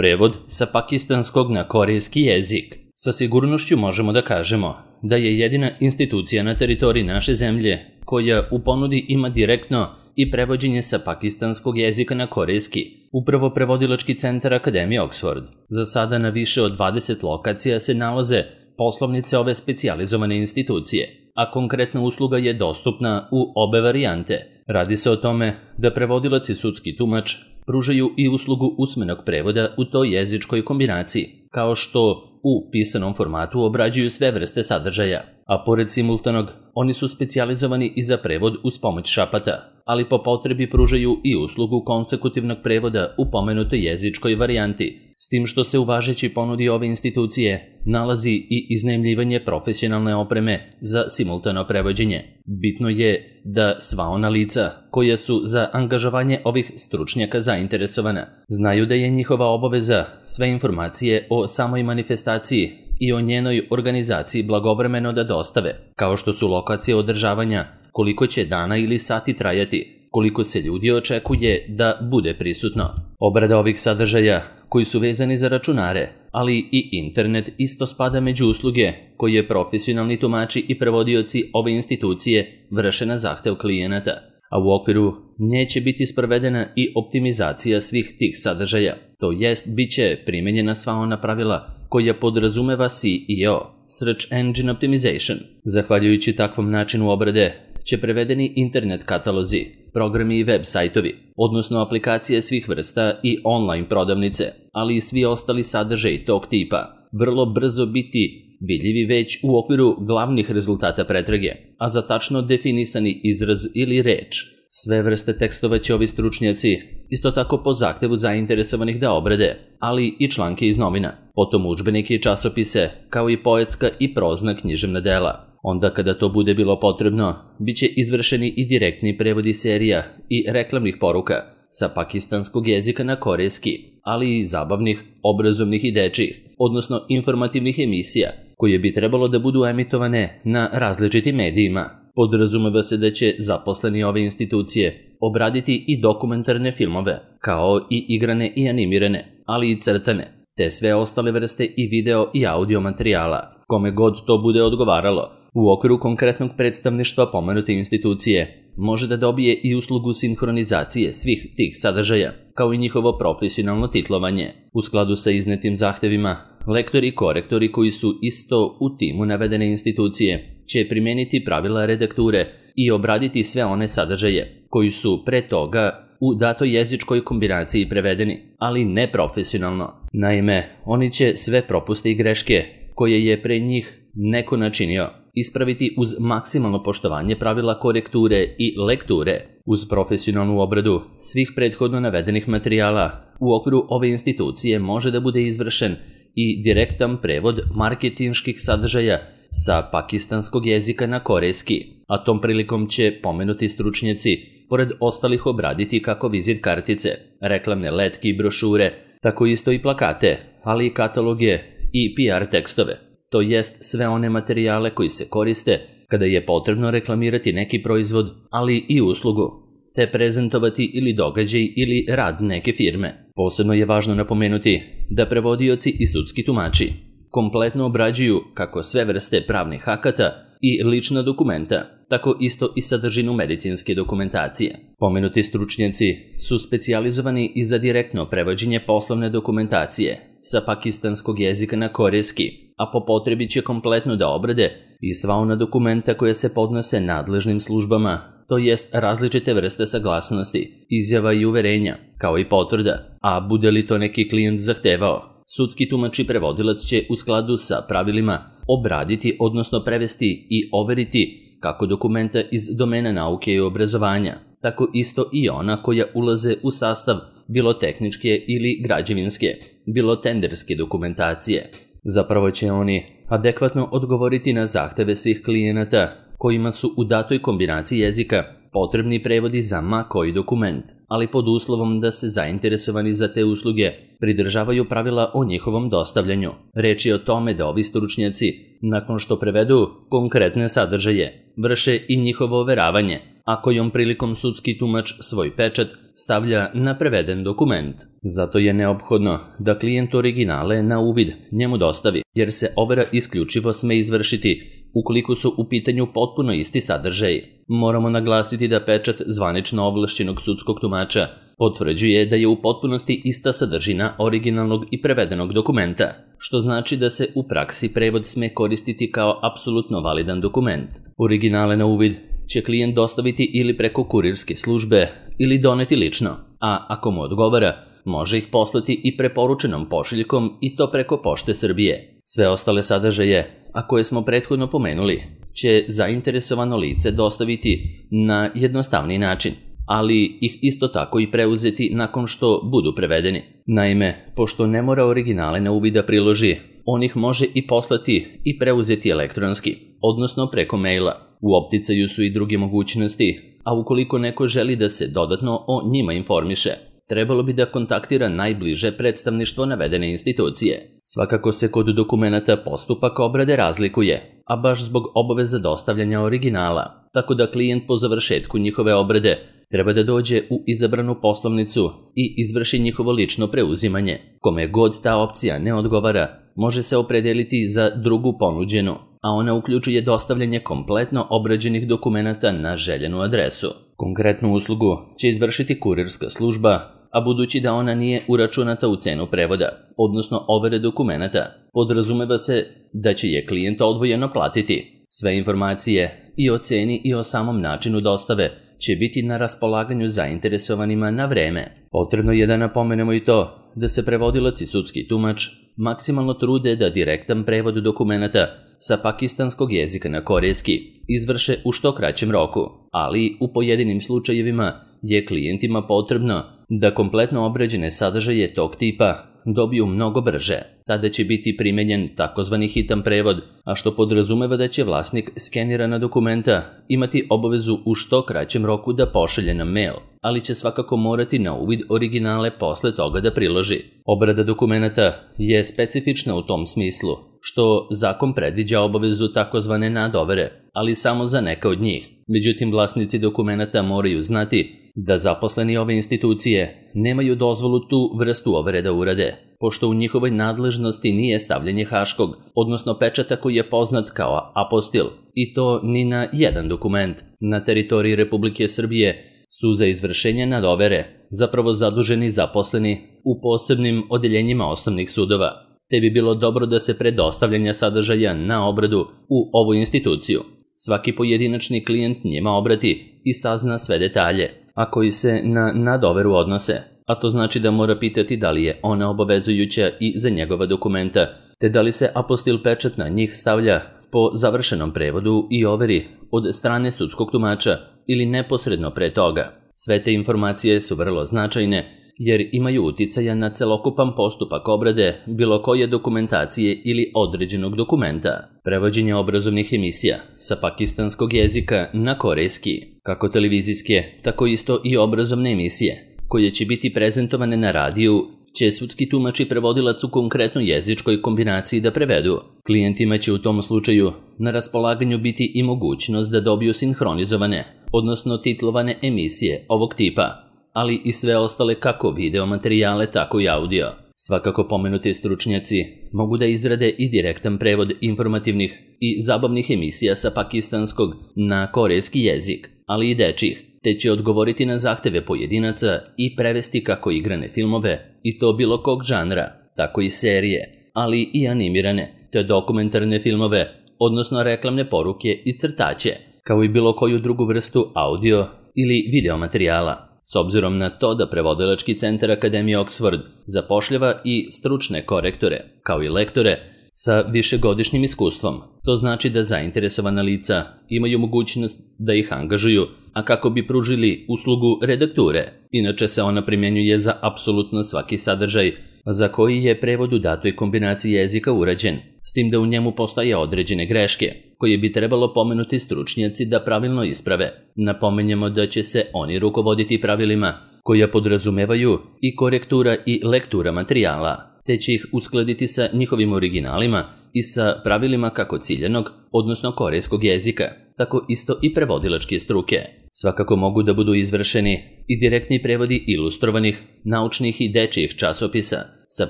Prevod sa pakistanskog na korejski jezik. Sa sigurnošću možemo da kažemo da je jedina institucija na teritoriji naše zemlje koja u ponudi ima direktno i prevođenje sa pakistanskog jezika na korejski, upravo prevodilački centar Akademije Oxford. Za sada na više od 20 lokacija se nalaze poslovnice ove specijalizovane institucije, a konkretna usluga je dostupna u obe varijante. Radi se o tome da prevodilac i sudski tumač pružaju i uslugu usmenog prevoda u toj jezičkoj kombinaciji, kao što u pisanom formatu obrađuju sve vrste sadržaja, a pored simultanog, oni su specijalizovani i za prevod uz pomoć šapata, ali po potrebi pružaju i uslugu konsekutivnog prevoda u pomenutoj jezičkoj varijanti, s tim što se u važećoj ponudi ove institucije nalazi i iznajmljivanje profesionalne opreme za simultano prevođenje. Bitno je da sva ona lica koja su za angažovanje ovih stručnjaka zainteresovana znaju da je njihova obaveza sve informacije o samoj manifestaciji i o njenoj organizaciji blagovremeno da dostave, kao što su lokacije održavanja, koliko će dana ili sati trajati, koliko se ljudi očekuje da bude prisutno. Obrada ovih sadržaja koji su vezani za računare, ali i internet isto spada među usluge koje profesionalni tumači i prevodioci ove institucije vrše na zahtev klijenata, a u okviru nje će biti sprovedena i optimizacija svih tih sadržaja, to jest bit će primenjena sva ona pravila koja podrazumeva SEO, Search Engine Optimization. Zahvaljujući takvom načinu obrade će prevedeni internet katalozi, programi i web sajtovi, odnosno aplikacije svih vrsta i online prodavnice, ali i svi ostali sadržaji tog tipa, vrlo brzo biti vidljivi već u okviru glavnih rezultata pretrage, a za tačno definisani izraz ili reč. Sve vrste tekstova će ovi stručnjaci isto tako po zahtevu zainteresovanih da obrade, ali i članke iz novina, potom udžbenike i časopise, kao i poetska i prozna književna dela. Onda kada to bude bilo potrebno, bit će izvršeni i direktni prevodi serija i reklamnih poruka sa pakistanskog jezika na korejski, ali i zabavnih, obrazovnih i dečjih, odnosno informativnih emisija, koje bi trebalo da budu emitovane na različitim medijima. Podrazumeva se da će zaposleni ove institucije obraditi i dokumentarne filmove, kao i igrane i animirane, ali i crtane, te sve ostale vrste i video i audio materijala, kome god to bude odgovaralo. U okviru konkretnog predstavništva pomenute institucije može da dobije i uslugu sinhronizacije svih tih sadržaja, kao i njihovo profesionalno titlovanje. U skladu sa iznetim zahtevima, lektori i korektori koji su isto u timu navedene institucije će primeniti pravila redakture i obraditi sve one sadržaje koji su pre toga u datoj jezičkoj kombinaciji prevedeni, ali ne profesionalno. Naime, oni će sve propuste i greške koje je pre njih neko načinio ispraviti uz maksimalno poštovanje pravila korekture i lekture, uz profesionalnu obradu svih prethodno navedenih materijala. U okviru ove institucije može da bude izvršen i direktan prevod marketinških sadržaja sa pakistanskog jezika na korejski, a tom prilikom će pomenuti stručnjaci, pored ostalih, obraditi kako vizit kartice, reklamne letke i brošure, tako isto i plakate, ali i kataloge i PR tekstove, to jest sve one materijale koji se koriste kada je potrebno reklamirati neki proizvod, ali i uslugu, te prezentovati ili događaj ili rad neke firme. Posebno je važno napomenuti da prevodioci i sudski tumači kompletno obrađuju kako sve vrste pravnih akata i lična dokumenta, tako isto i sadržinu medicinske dokumentacije. Pomenuti stručnjaci su specijalizovani i za direktno prevođenje poslovne dokumentacije sa pakistanskog jezika na korejski, a po potrebi će kompletno da obrade i sva ona dokumenta koja se podnose nadležnim službama, to jest različite vrste saglasnosti, izjava i uverenja, kao i potvrda, a bude li to neki klijent zahtevao. Sudski tumač i prevodilac će u skladu sa pravilima obraditi, odnosno prevesti i overiti kako dokumenta iz domena nauke i obrazovanja, tako isto i ona koja ulaze u sastav bilo tehničke ili građevinske, bilo tenderske dokumentacije. Zapravo će oni adekvatno odgovoriti na zahteve svih klijenata kojima su u datoj kombinaciji jezika potrebni prevodi za ma koji dokument, ali pod uslovom da se zainteresovani za te usluge pridržavaju pravila o njihovom dostavljanju. Reč je o tome da ovi stručnjaci, nakon što prevedu konkretne sadržaje, vrše i njihovo overavanje, a kojom prilikom sudski tumač svoj pečat stavlja na preveden dokument. Zato je neophodno da klijent originale na uvid njemu dostavi, jer se overa isključivo sme izvršiti ukoliko su u pitanju potpuno isti sadržaj. Moramo naglasiti da pečat zvanično ovlašćenog sudskog tumača potvrđuje da je u potpunosti ista sadržina originalnog i prevedenog dokumenta, što znači da se u praksi prevod sme koristiti kao apsolutno validan dokument. Originale na uvid će klijent dostaviti ili preko kurirske službe ili doneti lično, a ako mu odgovara, može ih poslati i preporučenom pošiljkom i to preko Pošte Srbije. Sve ostale sadržaje, a koje smo prethodno pomenuli, će zainteresovano lice dostaviti na jednostavniji način, ali ih isto tako i preuzeti nakon što budu prevedeni. Naime, pošto ne mora originale na uvid da priloži, on ih može i poslati i preuzeti elektronski, odnosno preko maila. U opticaju su i druge mogućnosti, a ukoliko neko želi da se dodatno o njima informiše, trebalo bi da kontaktira najbliže predstavništvo navedene institucije. Svakako se kod dokumenata postupak obrade razlikuje, a baš zbog obaveza dostavljanja originala, tako da klijent po završetku njihove obrade treba da dođe u izabranu poslovnicu i izvrši njihovo lično preuzimanje. Kome god ta opcija ne odgovara, može se opredeliti za drugu ponuđenu, a ona uključuje dostavljanje kompletno obrađenih dokumenata na željenu adresu. Konkretnu uslugu će izvršiti kurirska služba, a budući da ona nije uračunata u cenu prevoda, odnosno overe dokumenata, podrazumeva se da će je klijent odvojeno platiti. Sve informacije i o ceni i o samom načinu dostave će biti na raspolaganju zainteresovanima na vreme. Potrebno je da napomenemo i to da se prevodilac i sudski tumač maksimalno trude da direktan prevod dokumenata sa pakistanskog jezika na korejski izvrše u što kraćem roku, ali u pojedinim slučajevima je klijentima potrebno da kompletno obrađene sadržaje tog tipa dobiju mnogo brže. Tada će biti primenjen takozvani hitan prevod, a što podrazumeva da će vlasnik skenirana dokumenta imati obavezu u što kraćem roku da pošalje na mail, ali će svakako morati na uvid originale posle toga da priloži. Obrada dokumenata je specifična u tom smislu, što zakon predviđa obavezu takozvane nadovere, ali samo za neka od njih. Međutim, vlasnici dokumenata moraju znati da zaposleni ove institucije nemaju dozvolu tu vrstu overe da urade, pošto u njihovoj nadležnosti nije stavljanje haškog, odnosno pečata koji je poznat kao apostil, i to ni na jedan dokument. Na teritoriji Republike Srbije su za izvršenje nadovere zapravo zaduženi zaposleni u posebnim odeljenjima osnovnih sudova, te bi bilo dobro da se pre dostavljanja sadržaja na obradu u ovu instituciju svaki pojedinačni klijent njima obrati i sazna sve detalje, a koji se na nadoveru odnose, a to znači da mora pitati da li je ona obavezujuća i za njegova dokumenta, te da li se apostil pečat na njih stavlja po završenom prevodu i overi od strane sudskog tumača ili neposredno pre toga. Sve te informacije su vrlo značajne jer imaju uticaja na celokupan postupak obrade bilo koje dokumentacije ili određenog dokumenta. Prevođenje obrazovnih emisija sa pakistanskog jezika na korejski, kako televizijske, tako isto i obrazovne emisije, koje će biti prezentovane na radiju, će sudski tumač i prevodilac u konkretnoj jezičkoj kombinaciji da prevedu. Klijentima će u tom slučaju na raspolaganju biti i mogućnost da dobiju sinhronizovane, odnosno titlovane emisije ovog tipa, ali i sve ostale kako video materijale, tako i audio. Svakako pomenuti stručnjaci mogu da izrade i direktan prevod informativnih i zabavnih emisija sa pakistanskog na korejski jezik, ali i dečjih, te će odgovoriti na zahteve pojedinaca i prevesti kako igrane filmove, i to bilo kog žanra, tako i serije, ali i animirane, te dokumentarne filmove, odnosno reklamne poruke i crtaće, kao i bilo koju drugu vrstu audio ili video materijala. S obzirom na to da prevodilački centar Akademije Oxford zapošljava i stručne korektore, kao i lektore, sa višegodišnjim iskustvom. To znači da zainteresovana lica imaju mogućnost da ih angažuju, a kako bi pružili uslugu redakture. Inače se ona primjenjuje za apsolutno svaki sadržaj za koji je prevod u datoj kombinaciji jezika urađen, s tim da u njemu postoje određene greške, koje bi trebalo pomenuti stručnjaci da pravilno isprave. Napomenjemo da će se oni rukovoditi pravilima koja podrazumevaju i korektura i lektura materijala, te će ih uskladiti sa njihovim originalima i sa pravilima kako ciljanog, odnosno korejskog jezika, tako isto i prevodilačke struke. Svakako mogu da budu izvršeni i direktni prevodi ilustrovanih, naučnih i dečijih časopisa sa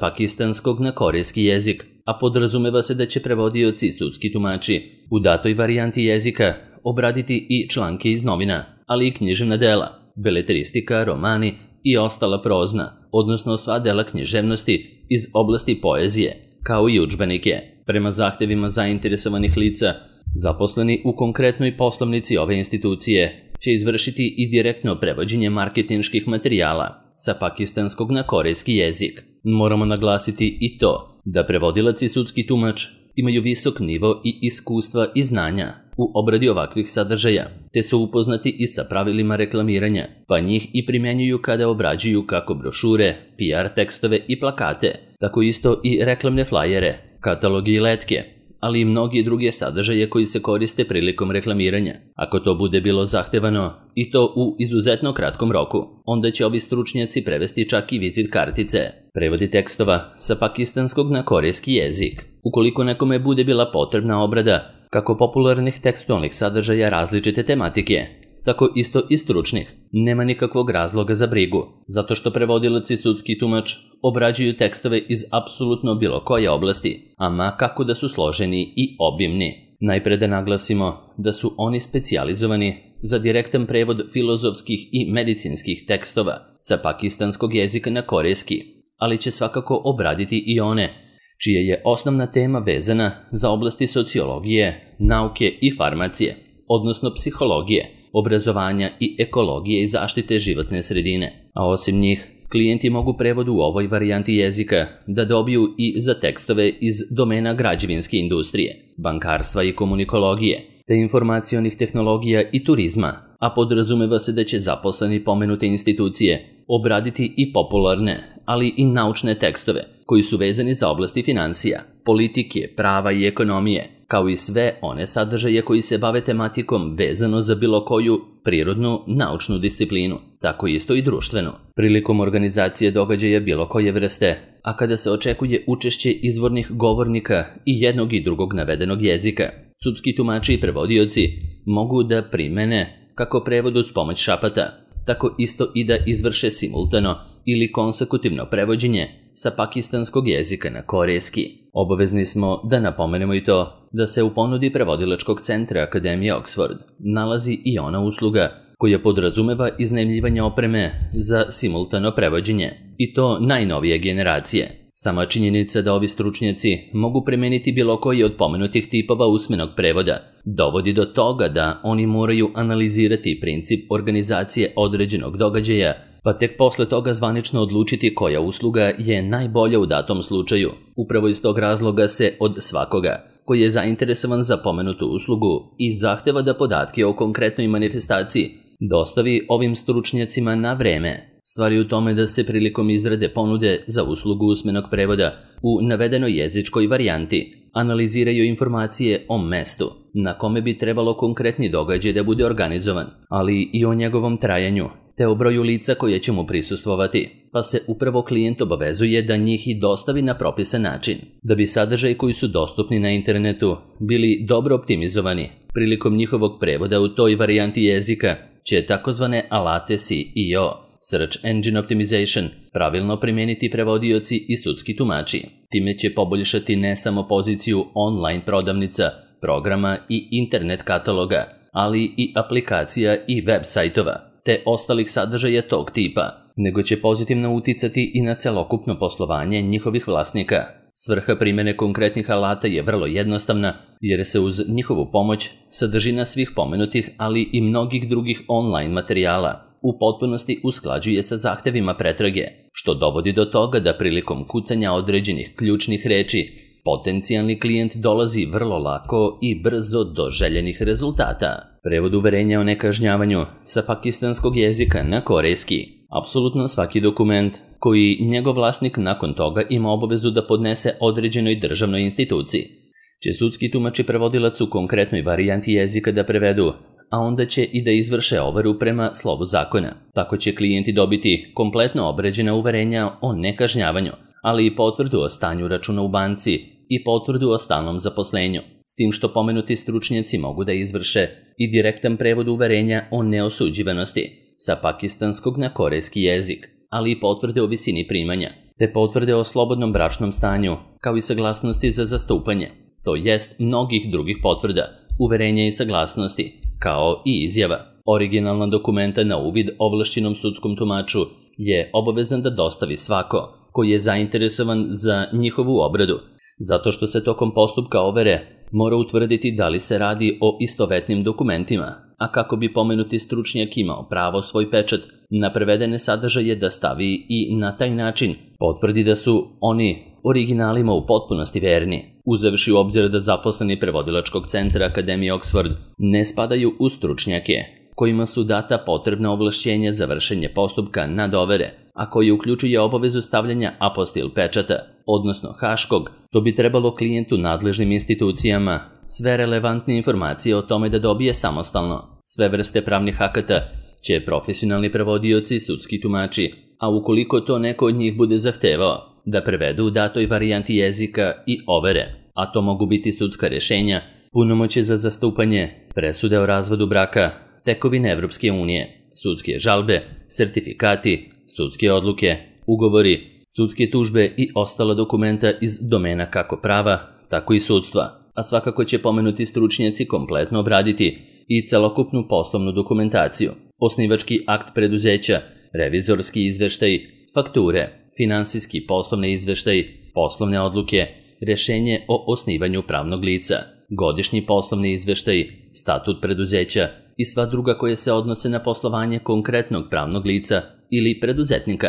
pakistanskog na korejski jezik, a podrazumeva se da će prevodioci i sudski tumači u datoj varijanti jezika obraditi i članke iz novina, ali i književna dela, beletristika, romani i ostala prozna, odnosno sva dela književnosti iz oblasti poezije, kao i udžbenike. Prema zahtevima zainteresovanih lica, zaposleni u konkretnoj poslovnici ove institucije će izvršiti i direktno prevođenje marketinških materijala sa pakistanskog na korejski jezik. Moramo naglasiti i to da prevodilac i sudski tumač imaju visok nivo i iskustva i znanja u obradi ovakvih sadržaja, te su upoznati i sa pravilima reklamiranja, pa njih i primjenjuju kada obrađuju kako brošure, PR tekstove i plakate, tako isto i reklamne flajere, katalogi i letke, ali i mnogi druge sadržaje koji se koriste prilikom reklamiranja. Ako to bude bilo zahtevano, i to u izuzetno kratkom roku, onda će ovi stručnjaci prevesti čak i vizit kartice, prevodi tekstova sa pakistanskog na korejski jezik. Ukoliko nekome bude bila potrebna obrada kako popularnih tekstualnih sadržaja različite tematike, tako isto i stručnih, nema nikakvog razloga za brigu, zato što prevodilac i sudski tumač obrađuju tekstove iz apsolutno bilo koje oblasti, ama kako da su složeni i obimni. Najpre da naglasimo da su oni specijalizovani za direktan prevod filozofskih i medicinskih tekstova sa pakistanskog jezika na korejski, ali će svakako obraditi i one čija je osnovna tema vezana za oblasti sociologije, nauke i farmacije, odnosno psihologije, obrazovanja i ekologije i zaštite životne sredine. A osim njih, klijenti mogu prevod u ovoj varijanti jezika da dobiju i za tekstove iz domena građevinske industrije, bankarstva i komunikologije, te informacionih tehnologija i turizma, a podrazumeva se da će zaposleni pomenute institucije obraditi i popularne, ali i naučne tekstove koji su vezani za oblasti financija, politike, prava i ekonomije, kao i sve one sadržaje koji se bave tematikom vezano za bilo koju prirodnu, naučnu disciplinu, tako isto i društvenu. Prilikom organizacije događaja bilo koje vrste, a kada se očekuje učešće izvornih govornika i jednog i drugog navedenog jezika, sudski tumači i prevodioci mogu da primene kako prevod uz pomoć šapata, tako isto i da izvrše simultano ili konsekutivno prevođenje sa pakistanskog jezika na korejski. Obavezni smo da napomenemo i to da se u ponudi prevodilačkog centra Akademije Oxford nalazi i ona usluga koja podrazumeva iznajmljivanje opreme za simultano prevođenje, i to najnovije generacije. Sama činjenica da ovi stručnjaci mogu primeniti bilo koji od pomenutih tipova usmenog prevoda dovodi do toga da oni moraju analizirati princip organizacije određenog događaja, pa tek posle toga zvanično odlučiti koja usluga je najbolja u datom slučaju. Upravo iz tog razloga se od svakoga koji je zainteresovan za pomenutu uslugu i zahteva da podatke o konkretnoj manifestaciji dostavi ovim stručnjacima na vreme. Stvar je u tome da se prilikom izrade ponude za uslugu usmenog prevoda u navedenoj jezičkoj varijanti analiziraju informacije o mestu na kome bi trebalo konkretni događaj da bude organizovan, ali i o njegovom trajanju, te o broju lica koje će mu prisustvovati, pa se upravo klijent obavezuje da njih i dostavi na propisan način. Da bi sadržaji koji su dostupni na internetu bili dobro optimizovani, prilikom njihovog prevoda u toj varijanti jezika će takozvane alate SEO, Search Engine Optimization, pravilno primijeniti prevodioci i sudski tumači. Time će poboljšati ne samo poziciju online prodavnica, programa i internet kataloga, ali i aplikacija i web sajtova, te ostalih sadržaja tog tipa, nego će pozitivno uticati i na celokupno poslovanje njihovih vlasnika. Svrha primjene konkretnih alata je vrlo jednostavna, jer se uz njihovu pomoć sadržina svih pomenutih, ali i mnogih drugih online materijala u potpunosti usklađuje sa zahtevima pretrage, što dovodi do toga da prilikom kucanja određenih ključnih reči potencijalni klijent dolazi vrlo lako i brzo do željenih rezultata. Prevod uverenja o nekažnjavanju sa pakistanskog jezika na korejski. Apsolutno svaki dokument koji njegov vlasnik nakon toga ima obavezu da podnese određenoj državnoj instituciji će sudski tumač i prevodilac u konkretnoj varijanti jezika da prevedu, a onda će i da izvrše overu prema slovu zakona. Tako će klijenti dobiti kompletno obređena uverenja o nekažnjavanju, ali i potvrdu o stanju računa u banci i potvrdu o stalnom zaposlenju. s tim što pomenuti stručnjaci mogu da izvrše i direktan prevod uverenja o neosuđivanosti sa pakistanskog na korejski jezik, ali i potvrde o visini primanja, te potvrde o slobodnom bračnom stanju, kao i saglasnosti za zastupanje, to jest mnogih drugih potvrda, uverenja i saglasnosti, kao i izjava. Originalna dokumenta na uvid ovlašćenom sudskom tumaču je obavezan da dostavi svako koji je zainteresovan za njihovu obradu, zato što se tokom postupka overe mora utvrditi da li se radi o istovetnim dokumentima, a kako bi pomenuti stručnjak imao pravo svoj pečat na prevedene sadržaje da stavi i na taj način potvrdi da su oni originalima u potpunosti verni, uzevši u obzir da zaposleni prevodilačkog centra Akademije Oxford ne spadaju u stručnjake kojima su data potrebna ovlašćenja za vršenje postupka nadovere, a koji uključuje obavezu stavljanja apostil pečata, odnosno haškog, to bi trebalo klijentu nadležnim institucijama sve relevantne informacije o tome da dobije samostalno. Sve vrste pravnih akata će profesionalni prevodioci, sudski tumači, a ukoliko to neko od njih bude zahtevao, da prevedu u datoj varijanti jezika i overe, a to mogu biti sudska rešenja, punomoćje za zastupanje, presude o razvodu braka, tekovine Evropske unije, sudske žalbe, sertifikati, sudske odluke, ugovori, sudske tužbe i ostala dokumenta iz domena kako prava, tako i sudstva, a svakako će pomenuti stručnjaci kompletno obraditi i celokupnu poslovnu dokumentaciju, osnivački akt preduzeća, revizorski izveštaj, fakture, finansijski poslovni izveštaj, poslovne odluke, rešenje o osnivanju pravnog lica, godišnji poslovni izveštaj, statut preduzeća i sva druga koje se odnose na poslovanje konkretnog pravnog lica ili preduzetnika.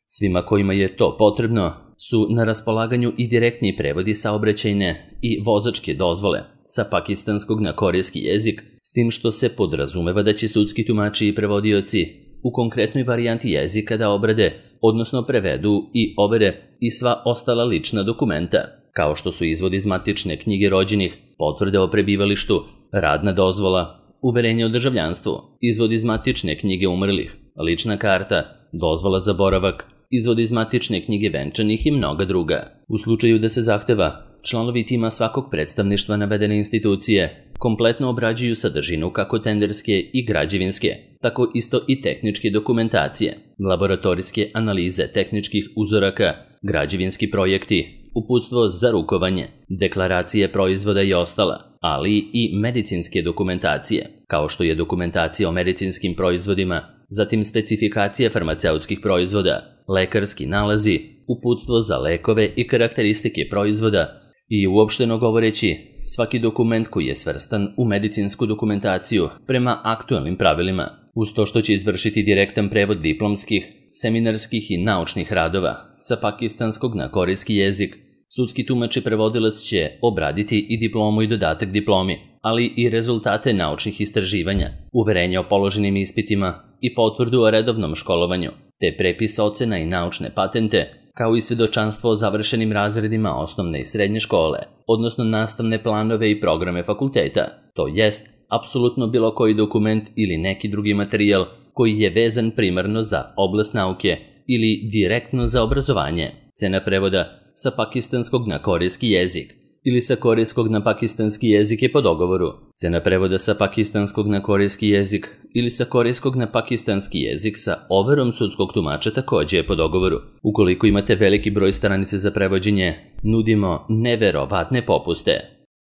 Svima kojima je to potrebno su na raspolaganju i direktni prevodi saobraćajne i vozačke dozvole sa pakistanskog na korejski jezik, s tim što se podrazumeva da će sudski tumači i prevodioci u konkretnoj varijanti jezika da obrade, odnosno prevedu i overe i sva ostala lična dokumenta, kao što su izvod iz matične knjige rođenih, potvrde o prebivalištu, radna dozvola, uverenje o državljanstvu, izvod iz matične knjige umrlih, lična karta, dozvola za boravak, izvod iz matične knjige venčanih i mnoga druga. U slučaju da se zahteva, članovi tima svakog predstavništva navedene institucije kompletno obrađuju sadržinu kako tenderske i građevinske, tako isto i tehničke dokumentacije, laboratorijske analize tehničkih uzoraka, građevinski projekti, uputstvo za rukovanje, deklaracije proizvoda i ostala, ali i medicinske dokumentacije, kao što je dokumentacija o medicinskim proizvodima, zatim specifikacije farmaceutskih proizvoda, lekarski nalazi, uputstvo za lekove i karakteristike proizvoda i uopšteno govoreći, svaki dokument koji je svrstan u medicinsku dokumentaciju prema aktualnim pravilima, uz to što će izvršiti direktan prevod diplomskih, seminarskih i naučnih radova sa pakistanskog na korejski jezik. Sudski tumač i prevodilac će obraditi i diplomu i dodatak diplomi, ali i rezultate naučnih istraživanja, uverenja o položenim ispitima i potvrdu o redovnom školovanju, te prepis ocena i naučne patente, kao i svedočanstvo o završenim razredima osnovne i srednje škole, odnosno nastavne planove i programe fakulteta, to jest apsolutno bilo koji dokument ili neki drugi materijal koji je vezan primarno za oblast nauke ili direktno za obrazovanje. Cena prevoda sa pakistanskog na korejski jezik ili sa korejskog na pakistanski jezik je po dogovoru. Cena prevoda sa pakistanskog na korejski jezik ili sa korejskog na pakistanski jezik sa overom sudskog tumača takođe je po dogovoru. Ukoliko imate veliki broj stranica za prevođenje, nudimo neverovatne popuste.